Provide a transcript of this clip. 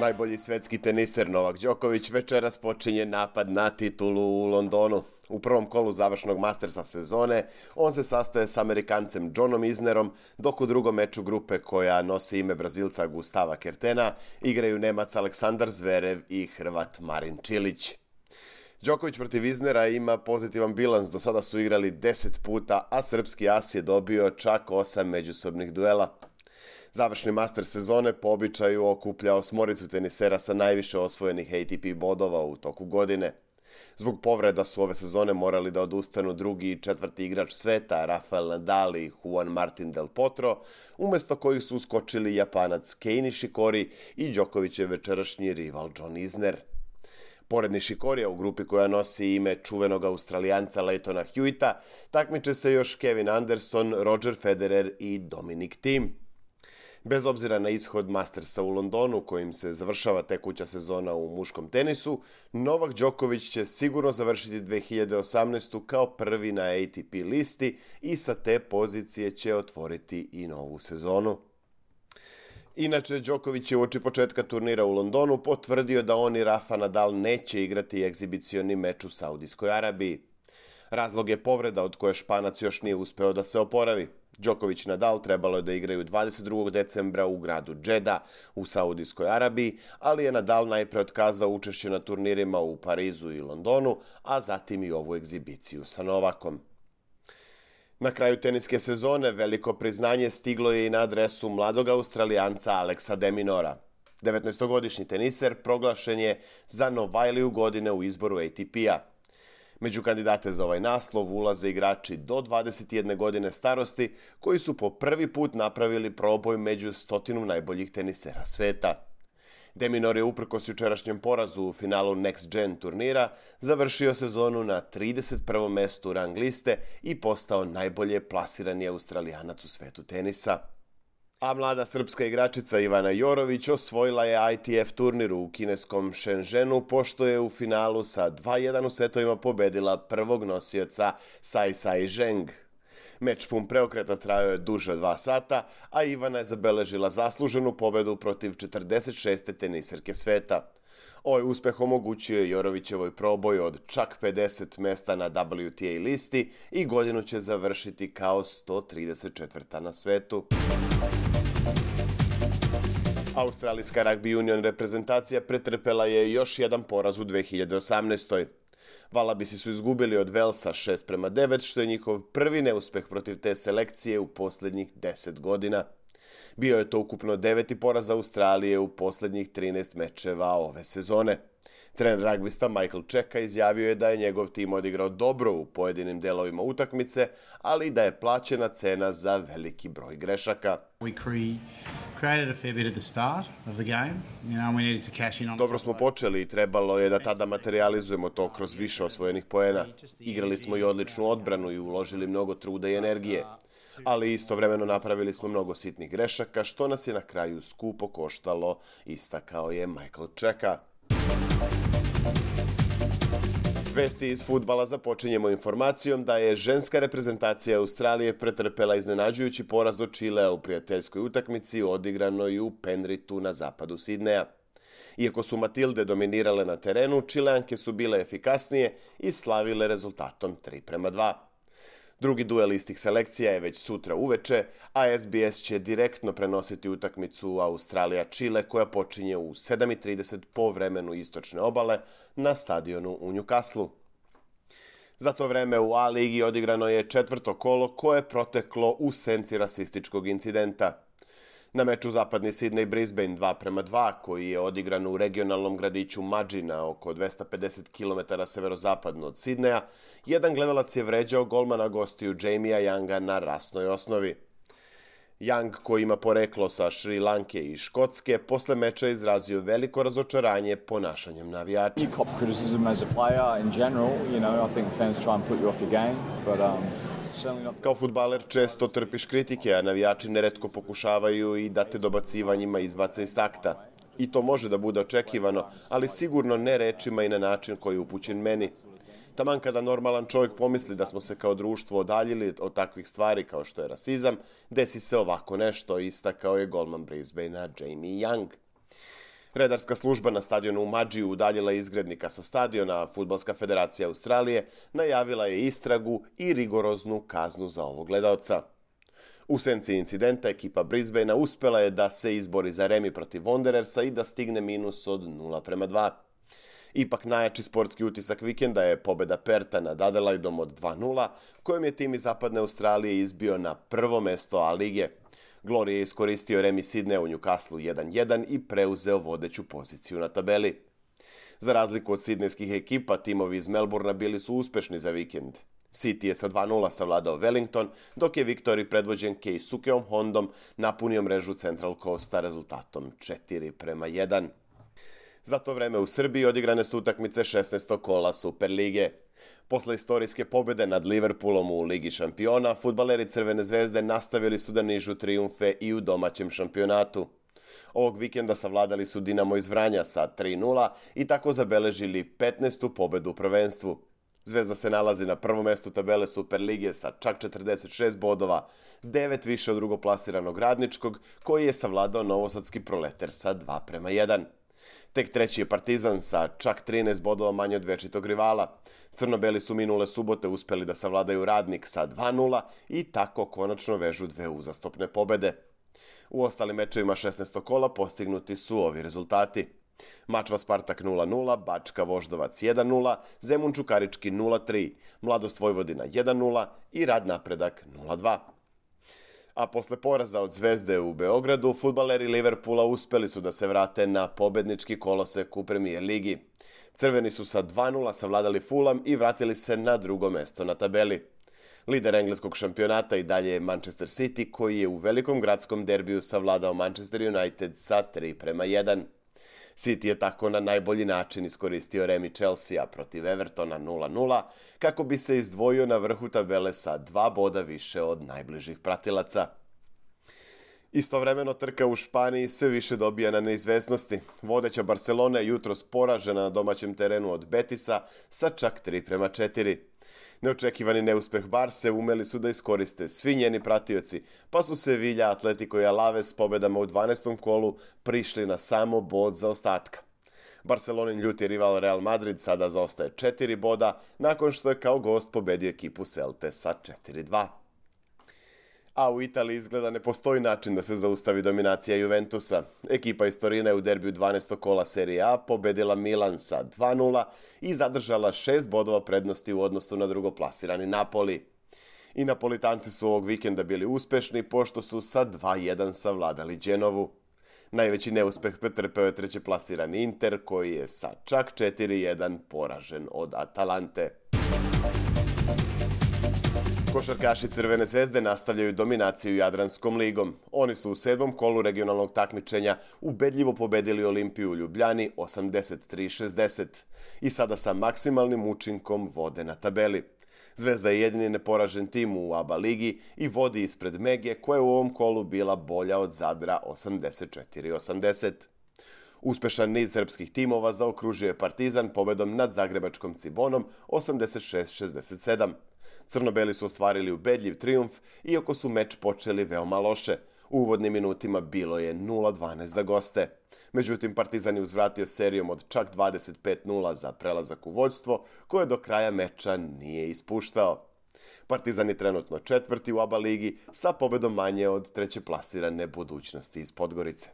Najbolji svetski teniser Novak Đoković večeras počinje napad na titulu u Londonu. U prvom kolu završnog Mastersa sezone on se sastaje s Amerikancem Johnom Isnerom, dok u drugom meču grupe koja nosi ime Brazilca Gustava Kertena igraju Nemac Aleksandar Zverev i Hrvat Marin Čilić. Đoković protiv Isnera ima pozitivan bilans, do sada su igrali 10 puta, a srpski as je dobio čak 8 međusobnih duela. Završni master sezone po običaju okuplja osmoricu tenisera sa najviše osvojenih ATP bodova u toku godine. Zbog povreda su ove sezone morali da odustanu drugi i četvrti igrač sveta, Rafael Nadal i Juan Martin del Potro, umesto kojih su uskočili Japanac Kei Nishikori i Đokovićev večerašnji rival John Isner. Pored Nishikorija u grupi koja nosi ime čuvenog Australijanca Leightona Hewita, takmiče se još Kevin Anderson, Roger Federer i Dominic Thiem. Bez obzira na ishod Mastersa u Londonu, kojim se završava tekuća sezona u muškom tenisu, Novak Đoković će sigurno završiti 2018. kao prvi na ATP listi i sa te pozicije će otvoriti i novu sezonu. Inače, Đoković je uoči početka turnira u Londonu potvrdio da on i Rafa Nadal neće igrati egzibicioni meč u Saudijskoj Arabiji. Razlog je povreda od koje Španac još nije uspeo da se oporavi. Đoković i Nadal trebalo je da igraju 22. decembra u gradu Džeda u Saudijskoj Arabiji, ali je Nadal najpre otkazao učešće na turnirima u Parizu i Londonu, a zatim i ovu egzibiciju sa Novakom. Na kraju teniske sezone veliko priznanje stiglo je i na adresu mladog Australijanca Alexa de Minaura. 19-godišnji teniser proglašen je za Novajliju godine u izboru ATP-a. Među kandidate za ovaj naslov ulaze igrači do 21 godine starosti koji su po prvi put napravili proboj među 100 najboljih tenisera sveta. De Minaur je uprkos jučerašnjem porazu u finalu Next Gen turnira završio sezonu na 31. mestu rang liste i postao najbolje plasirani Australijanac u svetu tenisa. A mlada srpska igračica Ivana Jorović osvojila je ITF turnir u kineskom Shenzhenu, pošto je u finalu sa 2:1 u setovima pobedila prvog nosioca Saisai Zheng. Meč pun preokreta trajao je duže od 2 sata, a Ivana je zabeležila zasluženu pobedu protiv 46. teniserke sveta. Ovaj uspeh omogućio je Jorovićevoj proboj od čak 50 mesta na WTA listi i godinu će završiti kao 134. na svetu. Australijska rugby union reprezentacija pretrpela je još jedan poraz u 2018. Valabisi su izgubili od Velsa 6:9, što je njihov prvi neuspeh protiv te selekcije u posljednjih 10 godina. Bio je to ukupno 9. poraz Australije u posljednjih 13 mečeva ove sezone. Trener ragbista Michael Cheika izjavio je da je njegov tim odigrao dobro u pojedinim delovima utakmice, ali da je plaćena cena za veliki broj grešaka. Dobro smo počeli i trebalo je da tada materializujemo to kroz više osvojenih poena. Igrali smo i odličnu odbranu i uložili mnogo truda i energije. Ali istovremeno napravili smo mnogo sitnih grešaka, što nas je na kraju skupo koštalo, istakao je Michael Cheika. Vesti iz fudbala započinjemo informacijom da je ženska reprezentacija Australije pretrpela iznenađujući poraz od Čilea u prijateljskoj utakmici odigranoj u Penritu na zapadu Sidneja. Iako su Matilde dominirale na terenu, Čileanke su bile efikasnije i slavile rezultatom 3:2. Drugi duel istih selekcija je već sutra uveče, a SBS će direktno prenositi utakmicu Australija-Čile koja počinje u 7:30 po vremenu istočne obale na stadionu u Newcastlu. Za to vreme u A ligi odigrano je 4. kolo koje je proteklo u senci rasističkog incidenta. Na meču zapadni Sydney-Brisbane 2:2, koji je odigran u regionalnom gradiću Mudgee na oko 250 km severozapadno od Sidneja, jedan gledalac je vređao golmana gostiju Jamija Younga na rasnoj osnovi. Young, koji ima poreklo sa Šri Lanke i Škotske, posle meča izrazio veliko razočaranje ponašanjem navijača. Kao fudbaler često trpiš kritike, a navijači neretko pokušavaju i da te dobacivanjima izbace iz takta. I to može da bude očekivano, ali sigurno ne rečima i na način koji je upućen meni. Taman kada normalan čovjek pomisli da smo se kao društvo odaljili od takvih stvari kao što je rasizam, desi se ovako nešto, istakao je golman Brisbanea Jamie Young. Redarska služba na stadionu u Madžiju udaljila izgrednika sa stadiona, a Fudbalska federacija Australije najavila je istragu i rigoroznu kaznu za ovog gledaoca. U senci incidenta ekipa Brisbanea uspela je da se izbori za remi protiv Wanderersa i da stigne minus od 0:2. Ipak najjači sportski utisak vikenda je pobeda Perta nad Adelaidom od 2:0, kojom je tim iz zapadne Australije izbio na prvo mesto A lige. Glory je iskoristio remi Sidneja u Newcastlu 1:1 i preuzeo vodeću poziciju na tabeli. Za razliku od sidnejskih ekipa, timovi iz Melbourna bili su uspešni za vikend. City je sa 2:0 savladao Wellington, dok je Viktoriji predvođen Keisukeom Hondom napunio mrežu Central Coasta rezultatom 4:1. Za to vreme u Srbiji odigrane su utakmice 16. kola Superlige. Posle istorijske pobede nad Liverpoolom u Ligi šampiona, fudbaleri Crvene zvezde nastavili su da nižu trijumfe i u domaćem šampionatu. Ovog vikenda savladali su Dinamo iz Vranja sa 3:0 i tako zabeležili 15. pobedu u prvenstvu. Zvezda se nalazi na prvom mestu tabele Superlige sa čak 46 bodova, 9 više od drugoplasiranog Radničkog, koji je savladao novosadski Proleter sa 2:1. Tek treći je Partizan sa čak 13 bodova manje od večitog rivala. Crno-beli su minule subote uspeli da savladaju Radnik sa 2:0 i tako konačno vežu dve uzastopne pobede. U ostalim mečevima 16. kola postignuti su ovi rezultati. Mačva Spartak 0:0, Bačka Voždovac 1:0, Zemun Čukarički 0:3, Mladost Vojvodina 1:0 i Rad Napredak 0:2. A posle poraza od Zvezde u Beogradu, fudbaleri Liverpoola uspeli su da se vrate na pobednički kolosek u Premier ligi. Crveni su sa 2:0 savladali Fulham i vratili se na drugo mesto na tabeli. Lider engleskog šampionata i dalje je Manchester City, koji je u velikom gradskom derbiju savladao Manchester United sa 3:1. City je tako na najbolji način iskoristio remi Chelsea protiv Evertona 0:0 kako bi se izdvojio na vrhu tabele sa 2 boda više od najbližih pratilaca. Istovremeno trka u Španiji sve više dobija na neizvesnosti. Vodeća Barcelona je jutros poražena na domaćem terenu od Betisa sa čak 3:4. Neočekivani neuspeh Barse umeli su da iskoriste svi njeni pratioci, pa su Sevilla, Atletico i Alaves s pobedama u 12. kolu prišli na samo bod zaostatka. Barcelonin ljuti rival Real Madrid sada zaostaje 4 boda, nakon što je kao gost pobedio ekipu Celte sa 4:2. A u Italiji izgleda ne postoji način da se zaustavi dominacija Juventusa. Ekipa iz Torina je u derbiju 12. kola Serie A pobedila Milan sa 2:0 i zadržala 6 bodova prednosti u odnosu na drugoplasirani Napoli. I Napolitanci su ovog vikenda bili uspešni pošto su sa 2:1 savladali Genovu. Najveći neuspeh pretrpeo je trećeplasirani Inter, koji je sa čak 4:1 poražen od Atalante. Košarkaši Crvene zvezde nastavljaju dominaciju Jadranskom ligom. Oni su u 7. kolu regionalnog takmičenja ubedljivo pobedili Olimpiju u Ljubljani 83-60 i sada sa maksimalnim učinkom vode na tabeli. Zvezda je jedini neporažen tim u ABA ligi i vodi ispred Mege, koja je u ovom kolu bila bolja od Zadra 84-80. Uspešan niz srpskih timova zaokružio je Partizan pobedom nad zagrebačkom Cibonom 86-67. Crno-beli su ostvarili ubedljiv trijumf, iako su meč počeli veoma loše. U uvodnim minutima bilo je 0:12 za goste. Međutim, Partizan je uzvratio serijom od čak 25:0 za prelazak u vođstvo, koje do kraja meča nije ispuštao. Partizan je trenutno 4. u ABA ligi sa pobedom manje od trećeplasirane Budućnosti iz Podgorice.